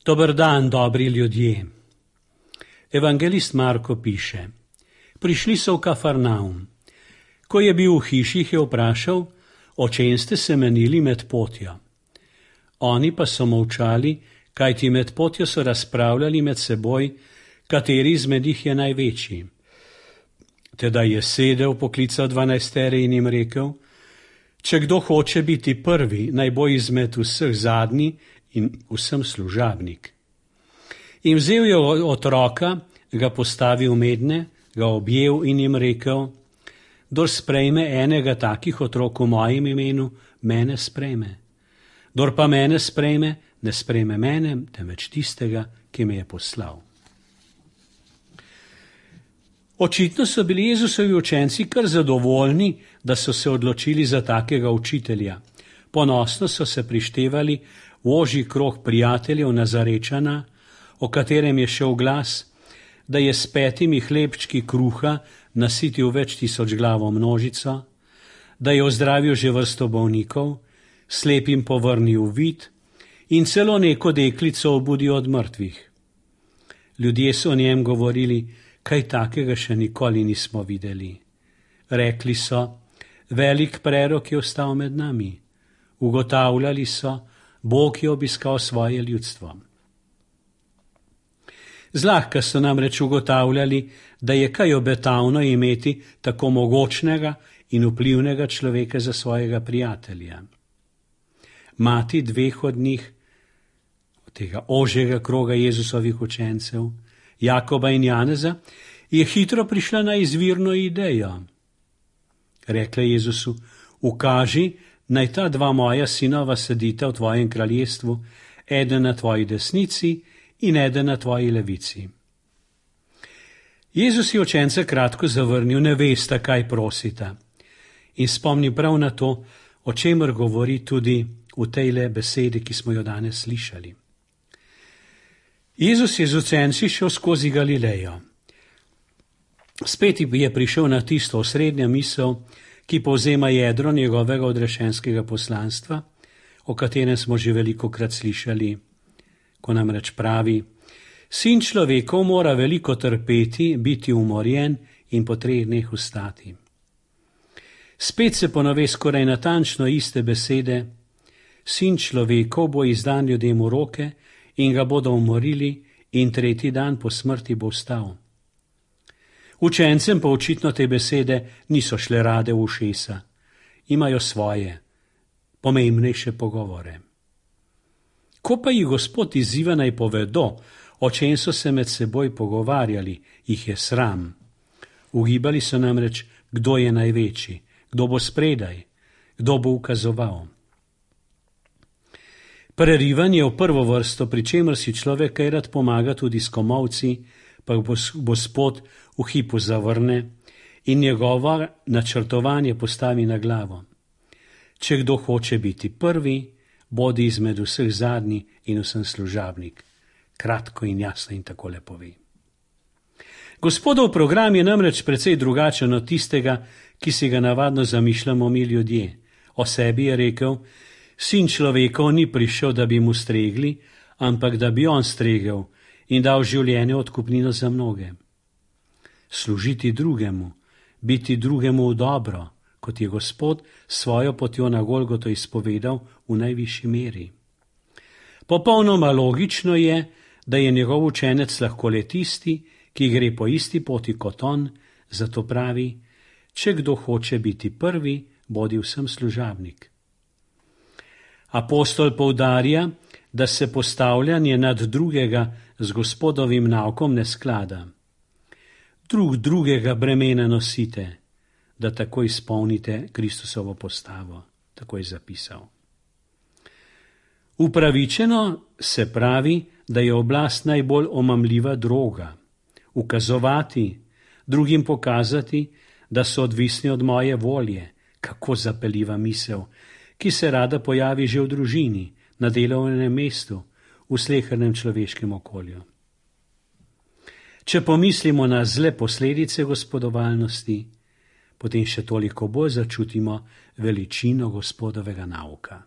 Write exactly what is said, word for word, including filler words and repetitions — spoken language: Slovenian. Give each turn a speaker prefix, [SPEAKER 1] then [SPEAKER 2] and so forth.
[SPEAKER 1] Dober dan, dobri ljudje. Evangelist Marko piše: Prišli so v Kafarnaum. Ko je bil v hiši, jih je vprašal, o čem ste se menili med potjo. Oni pa so molčali, kajti med potjo so razpravljali med seboj, kateri izmed njih je največji. Tedaj je sedel, poklical dvanajstere in jim rekel: Če kdo hoče biti prvi, naj bo izmed vseh zadnji in vsem služabnik. In vzel je otroka, ga postavil medne, ga objel in jim rekel: Kdor sprejme enega takih otrok v mojem imenu, mene sprejme. Kdor pa mene sprejme, ne sprejme mene, temveč tistega, ki me je poslal. Očitno so bili Jezusovi učenci kar zadovoljni, da so se odločili za takega učitelja. Ponosno so se prištevali v ožji krog prijateljev Nazarečana, o katerem je šel glas, da je s petimi hlebčki kruha nasitil več tisoč glavo množico, da je ozdravil že vrsto bolnikov, slepim povrnil vid in celo neko deklico obudil od mrtvih. Ljudje so o njem govorili: Kaj takega še nikoli nismo videli. Rekli so: Velik prerok je ostal med nami. Ugotavljali so: Bog je obiskal svoje ljudstvo. Zlahka so namreč ugotavljali, da je kaj obetavno imeti tako mogočnega in vplivnega človeka za svojega prijatelja. Mati dveh od njih, od tega ožjega kroga Jezusovih učencev, Jakoba in Janeza, je hitro prišla na izvirno idejo. Rekla Jezusu: Ukaži, naj ta dva moja sinova sedita v tvojem kraljestvu, eden na tvoji desnici in eden na tvoji levici. Jezus je učence kratko zavrnil: Ne vesta, kaj prosita. In spomni prav na to, o čemer govori tudi v tejle besedi, ki smo jo danes slišali. Jezus je z učenci šel skozi Galilejo. Spet je prišel na tisto osrednja misel, ki povzema jedro njegovega odrešenskega poslanstva, o katerem smo že velikokrat slišali, ko namreč pravi: Sin človekov mora veliko trpeti, biti umorjen in po treh dneh vstati. Spet se ponove skoraj natančno iste besede: Sin človekov bo izdan ljudem v roke in ga bodo umorili in tretji dan po smrti bo vstal. Učencem pa očitno te besede niso šle rade v ušesa. Imajo svoje, pomembnejše pogovore. Ko pa jih Gospod izziva naj povedo, o čem so se med seboj pogovarjali, jih je sram. Ugibali so namreč, kdo je največji, kdo bo spredaj, kdo bo ukazoval. Prerivanje v prvo vrsto, pri čemer si človek kaj rad pomaga tudi s komolci, pa Gospod v hipu zavrne in njegovo načrtovanje postavi na glavo. Če kdo hoče biti prvi, bodi izmed vseh zadnji in vsem služabnik. Kratko in jasno in tako lepo ve. Gospodov program je namreč precej drugačen od tistega, ki si ga navadno zamišljamo mi ljudje. O sebi je rekel: Sin človekov ni prišel, da bi mu stregli, ampak da bi on stregel in dal življenje odkupnino za mnoge. Služiti drugemu, biti drugemu v dobro, kot je Gospod svojo potjo na Golgoto izpovedal v najvišji meri. Popolnoma logično je, da je njegov učenec lahko le tisti, ki gre po isti poti kot on, zato pravi: Če kdo hoče biti prvi, bodi vsem služabnik. Apostol poudarja, da se postavljanje nad drugega z Gospodovim naukom ne sklada. Drug drugega bremena nosite, da tako izpolnite Kristusovo postavo, tako je zapisal. Upravičeno se pravi, da je oblast najbolj omamljiva droga. Ukazovati, drugim pokazati, da so odvisni od moje volje, kako zapeljiva misel, ki se rada pojavi že v družini, na delovnem mestu, v slehernem človeškem okolju. Če pomislimo na zle posledice gospodovalnosti, potem še toliko bolj začutimo veličino Gospodovega nauka.